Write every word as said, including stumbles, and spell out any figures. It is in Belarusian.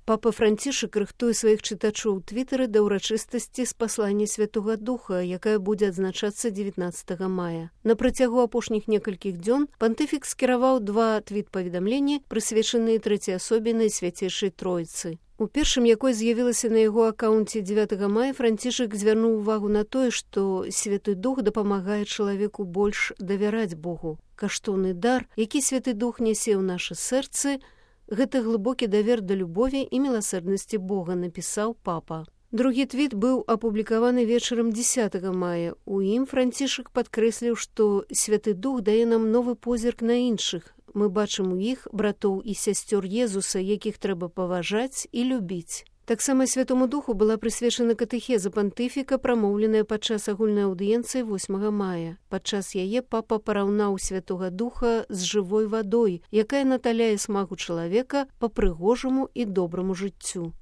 Папа Францішак рыхтуе сваіх чытачоў у твітары да ўрачыстасці спаслання Святога Духа, якая будзе адзначацца дзевятнаццатага мая. На працягу апошніх некалькіх дзён пантыфік скіраваў два твіт-паведамленні, прысвечаныя трэцяй асобе Найсвяцейшай Тройцы. У першым, якой з'явілася на яго акаунце дзевятага мая, Францішак звярнуў увагу на тое, што Святы Дух дапамагае чалавеку больш давяраць Богу. Каштоўны дар, які Святы Дух нясе ў нашы сэрцы, гэта глыбокі давер да любові і міласэрнасці Бога, напісаў папа. Другі твіт быў апублікаваны вечарам дзесятага мая. У ім Францішак падкрэсліў, што Святы Дух дае нам новы позірк на іншых. Мы бачым у іх братоў і сясцёр Езуса, якіх трэба паважаць і любіць. Таксама Святому Духу была прысвечана катэхеза пантыфіка, прамоўленая падчас агульнай аўдыенцыі восьмага мая. Падчас яе папа параўнаў Святога Духа з жывой вадой, якая наталяе смак у чалавека па прыгожаму і добраму жыццю.